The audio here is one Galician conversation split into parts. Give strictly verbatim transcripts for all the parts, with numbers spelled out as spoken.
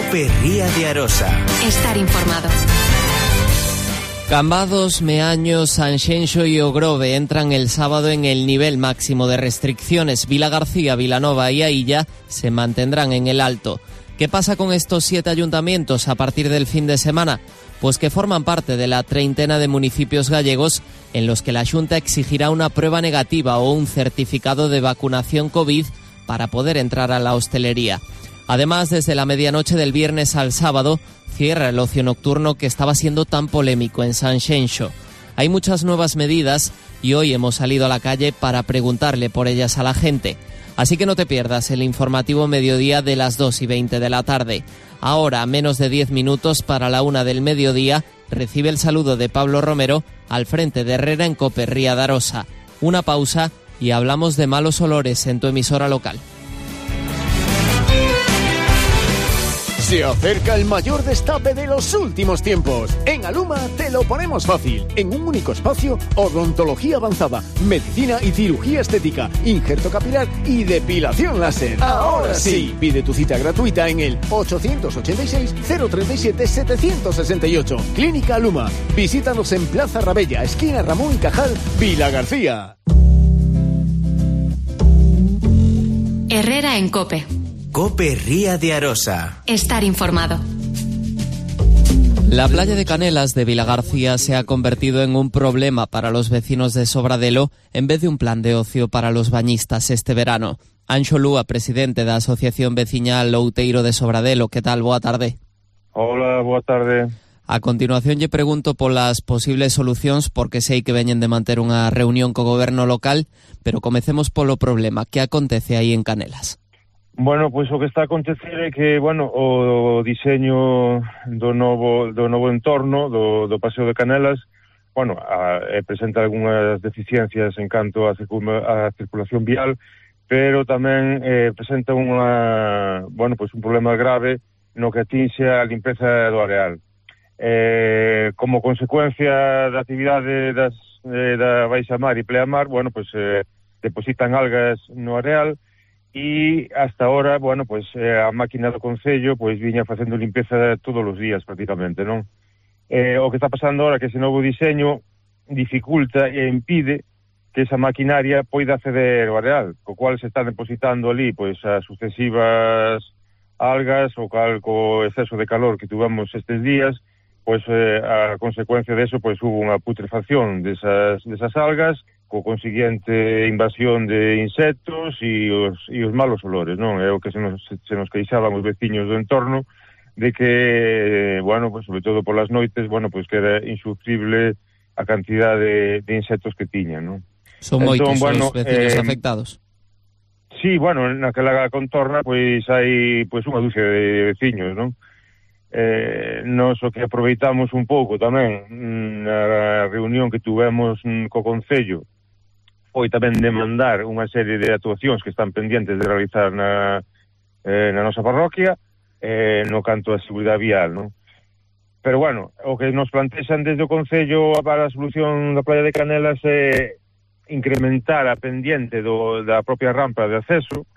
Cope Ría de Arosa. Estar informado. Cambados, Meaño, Sanxenxo y Ogrove entran el sábado en el nivel máximo de restricciones. Vilagarcía, Vilanova y Ailla se mantendrán en el alto. ¿Qué pasa con estos siete ayuntamientos a partir del fin de semana? Pues que forman parte de la treintena de municipios gallegos en los que la Xunta exigirá una prueba negativa o un certificado de vacunación COVID para poder entrar a la hostelería. Además, desde la medianoche del viernes al sábado, cierra el ocio nocturno que estaba siendo tan polémico en Sanxenxo. Hay muchas nuevas medidas y hoy hemos salido a la calle para preguntarle por ellas a la gente. Así que no te pierdas el informativo mediodía de las dos y veinte de la tarde. Ahora, a menos de diez minutos para la una del mediodía, recibe el saludo de Pablo Romero al frente de Herrera en Cope Ría de Arosa. Una pausa y hablamos de malos olores en tu emisora local. Se acerca el mayor destape de los últimos tiempos. En Aluma te lo ponemos fácil. En un único espacio, odontología avanzada, medicina y cirugía estética, injerto capilar y depilación láser. Ahora sí, pide tu cita gratuita en el ochocientos ochenta y seis, cero treinta y siete, setecientos sesenta y ocho. Clínica Aluma. Visítanos en Plaza Rabella, esquina Ramón y Cajal, Vilagarcía. Herrera en Cope. Cope Ría de Arosa. Estar informado. La playa de Canelas de Vilagarcía se ha convertido en un problema para los vecinos de Sobradelo en vez de un plan de ocio para los bañistas este verano. Anxo Lúa, presidente da Asociación Veciñal Outeiro de Sobradelo. Que tal? Boa tarde. Hola, boa tarde. A continuación lle pregunto polas posibles solucións porque sei que veñen de manter unha reunión co goberno local, pero comecemos polo problema. Que acontece aí en Canelas? Bueno, pois o que está a acontecer é que, bueno, o diseño do novo do novo entorno do, do Paseo de Canelas, bueno, a, a, presenta algunhas deficiencias en canto a, a circulación vial, pero tamén eh, presenta unha, bueno, pois un problema grave no que atinxe a limpeza do areal. Eh, como consecuencia da actividade das, eh, da Baixa Mar e Pleamar, bueno, pois eh, depositan algas no areal. E hasta ahora, bueno, pois eh, a máquina do Concello pois viña facendo limpeza todos os días prácticamente, non? Eh, o que está pasando ahora é que ese novo diseño dificulta e impide que esa maquinaria poida acceder ao areal, co cual se están depositando ali pois as sucesivas algas, o cal co exceso de calor que tuvamos estes días, pois eh, a consecuencia de eso pois hubo unha putrefacción desas, desas algas, co consiguiente invasión de insectos e os, e os malos olores, non? É o que se nos, se nos queixaban os veciños do entorno de que, bueno, pues, sobre todo polas noites, bueno, pues que era insufrible a cantidad de, de insectos que tiñan, non? Son moitos bueno, os veciños eh, afectados. Sí, bueno, naquela contorna pois hai pois unha dúcia de veciños, non? Eh, nos o que aproveitamos un pouco tamén na reunión que tuvemos co Concello foi tamén demandar unha serie de actuacións que están pendientes de realizar na, eh, na nosa parroquia eh, no canto a seguridade vial, non? Pero bueno, o que nos plantexan desde o Concello para a solución da playa de Canelas é incrementar a pendiente do, da propia rampa de acceso,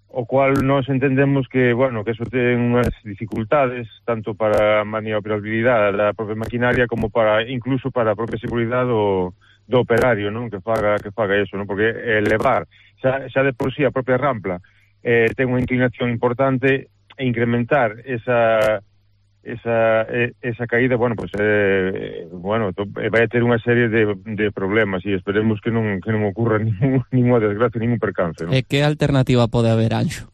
o cual nos entendemos que, bueno, que eso ten unhas dificultades tanto para a maniobrabilidade da propia maquinaria como para incluso para a propia seguridade do, do operario, non? Que faga que faga eso, non? Porque elevar xa, xa de por sí a propia rampa eh, ten unha inclinación importante e incrementar esa esa esa caída, bueno, pues eh, bueno, vai a ter unha serie de, de problemas e esperemos que non que non ocurra ningún, ninguna desgracia, ningún percance, non? E que alternativa pode haber, Anxo?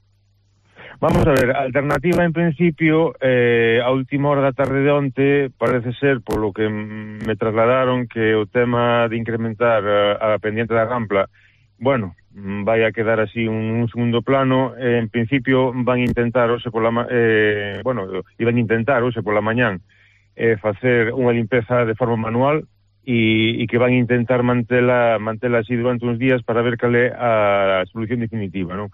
Vamos a ver, a alternativa en principio eh, a última hora da tarde de onte parece ser, polo que me trasladaron, que o tema de incrementar a, a pendiente da rampa, bueno, vai a quedar así un, un segundo plano. Eh, en principio van a intentar hoxe pola eh, bueno, iban a intentar hoxe pola mañán eh, facer unha limpeza de forma manual e, e que van a intentar mantela, mantela así durante uns días para ver cal é a solución definitiva, non?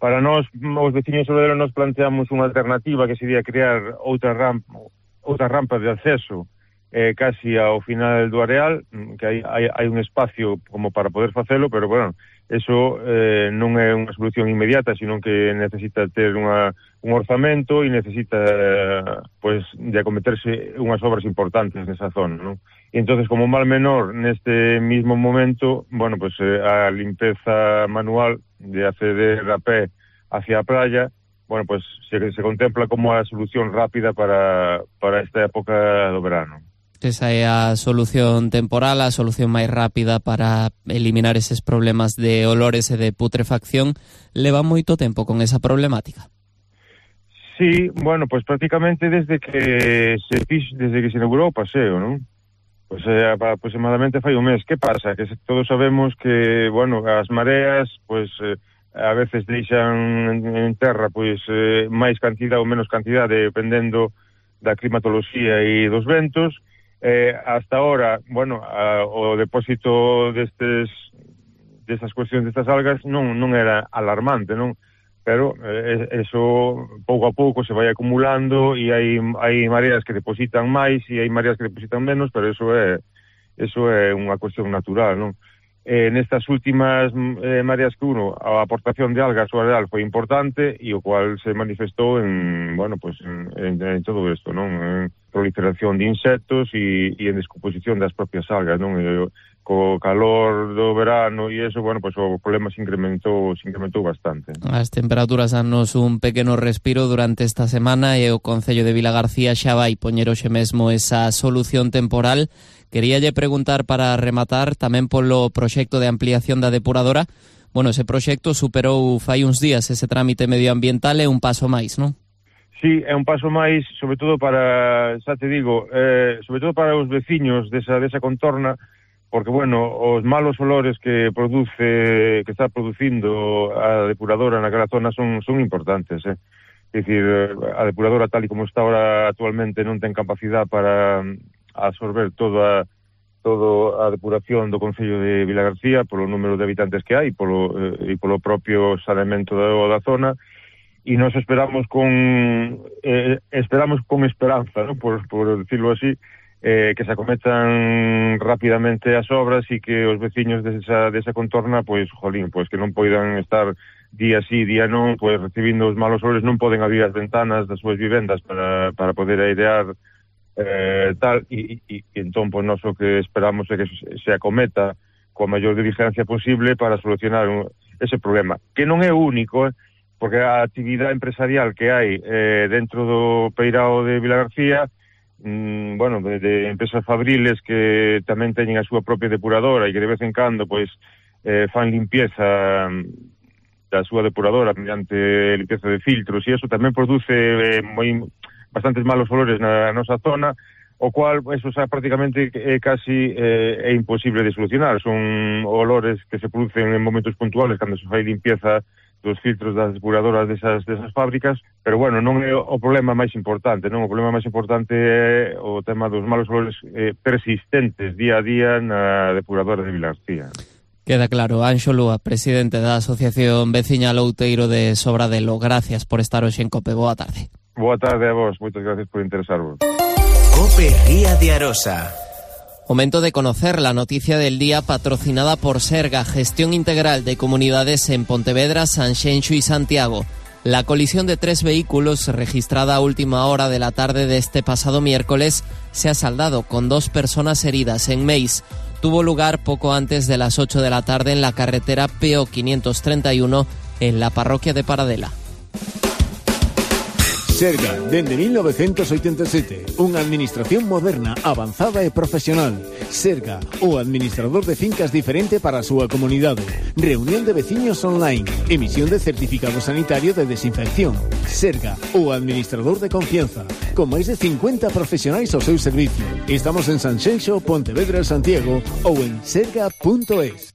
Para nós, os veciños Sobradelo, nos planteamos unha alternativa que sería crear outra rampa, outra rampa de acceso eh, casi ao final do areal, que hai, hai, hai un espacio como para poder facelo, pero bueno, eso eh, non é unha solución inmediata, sino que necesita ter unha, un orzamento e necesita eh, pues, de acometerse unhas obras importantes nesa zona, non? E entonces, como mal menor, neste mismo momento, bueno, pues eh, a limpeza manual de acceder a pé hacia a playa, bueno, pues se, se contempla como a solución rápida para, para esta época do verano. Esa é a solución temporal, a solución máis rápida para eliminar eses problemas de olores e de putrefacción. Leva moito tempo con esa problemática? Sí, bueno, pues prácticamente desde que se fix, desde que se inaugurou o paseo, non? Pues eh, aproximadamente fai un mes. Que pasa? Que todos sabemos que, bueno, as mareas, pues eh, a veces deixan en terra, pues eh, máis cantidad ou menos cantidad, dependendo da climatoloxía e dos ventos. Eh, hasta ahora, bueno, a, o depósito destes destas cuestións destas algas non non era alarmante, non? Pero eh, eso pouco a pouco se vai acumulando e hai hai mareas que depositan máis e hai mareas que depositan menos, pero eso é eso é unha cuestión natural, non? Eh, nestas últimas eh, mareas que uno, a aportación de algas ao areal foi importante e o cual se manifestou en, bueno, pues en, en, en todo isto, non? En proliferación de insectos e, e en descomposición das propias algas, non? E, co calor do verano e eso, bueno, pues o problema se incrementou, se incrementou bastante. As temperaturas danos un pequeno respiro durante esta semana e o Concello de Vilagarcía xa vai poñer hoxe mesmo esa solución temporal. Queríalle preguntar para rematar tamén polo proxecto de ampliación da depuradora. Bueno, ese proxecto superou fai uns días ese trámite medioambiental e un paso máis, non? Sí, é un paso máis, sobre todo para, xa te digo, eh, sobre todo para os veciños desa, desa contorna, porque, bueno, os malos olores que produce, que está producindo a depuradora naquela zona son, son importantes, eh? É dicir, a depuradora tal e como está ahora actualmente non ten capacidade para absorber toda todo a depuración do Concello de Vilagarcía polo número de habitantes que hai polo, eh, e polo propio saneamento da, da zona, e nos esperamos con eh, esperamos con esperanza, ¿no? por, por decirlo así, eh, que se acometan rapidamente as obras e que os veciños desa, desa contorna, pois, jolín, pois que non poidan estar día sí, día non, pois recibindo os malos olores, non poden abrir as ventanas das súas vivendas para, para poder airear eh, tal, e, e, e entón, pois, nós o que esperamos é que se acometa coa maior diligencia posible para solucionar un, ese problema, que non é único, eh, porque a actividade empresarial que hai eh, dentro do Peirao de Vilagarcía, mm, bueno, de, de empresas fabriles que tamén teñen a súa propia depuradora e que de vez en cando, pois, eh, fan limpieza da súa depuradora mediante limpieza de filtros, e eso tamén produce eh, moi bastantes malos olores na, na nosa zona, o cual, eso xa prácticamente é casi eh, é imposible de solucionar. Son olores que se producen en momentos puntuales cando se fai limpieza dos filtros das depuradoras desas, desas fábricas, pero bueno, non é o problema máis importante, non? O problema máis importante é o tema dos malos olores eh, persistentes día a día na depuradora de Vilagarcía. Queda claro. Anxo Lúa, presidente da Asociación Veciñal Outeiro de Sobradelo, gracias por estar hoxe en COPE. Boa tarde. Boa tarde a vos, moitas gracias por interesarvos. COPE Ría de Arosa. Momento de conocer la noticia del día patrocinada por Serga, gestión integral de comunidades en Pontevedra, Sanxenxo y Santiago. La colisión de tres vehículos registrada a última hora de la tarde de este pasado miércoles se ha saldado con dos personas heridas en Meis. Tuvo lugar poco antes de las ocho de la tarde en la carretera P O quinientos treinta y uno en la parroquia de Paradela. Serga, dende mil novecientos oitenta e sete, unha administración moderna, avanzada e profesional. Serga, o administrador de fincas diferente para a súa comunidade. Reunión de veciños online, emisión de certificado sanitario de desinfección. Serga, o administrador de confianza, con máis de cincuenta profesionais ao seu servicio. Estamos en Sanxenxo, Pontevedra, Santiago ou en serga punto es.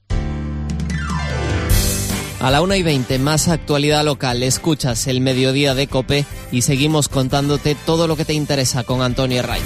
A la una y veinte, más actualidad local. Escuchas el mediodía de COPE y seguimos contándote todo lo que te interesa con Antonio Herraiz.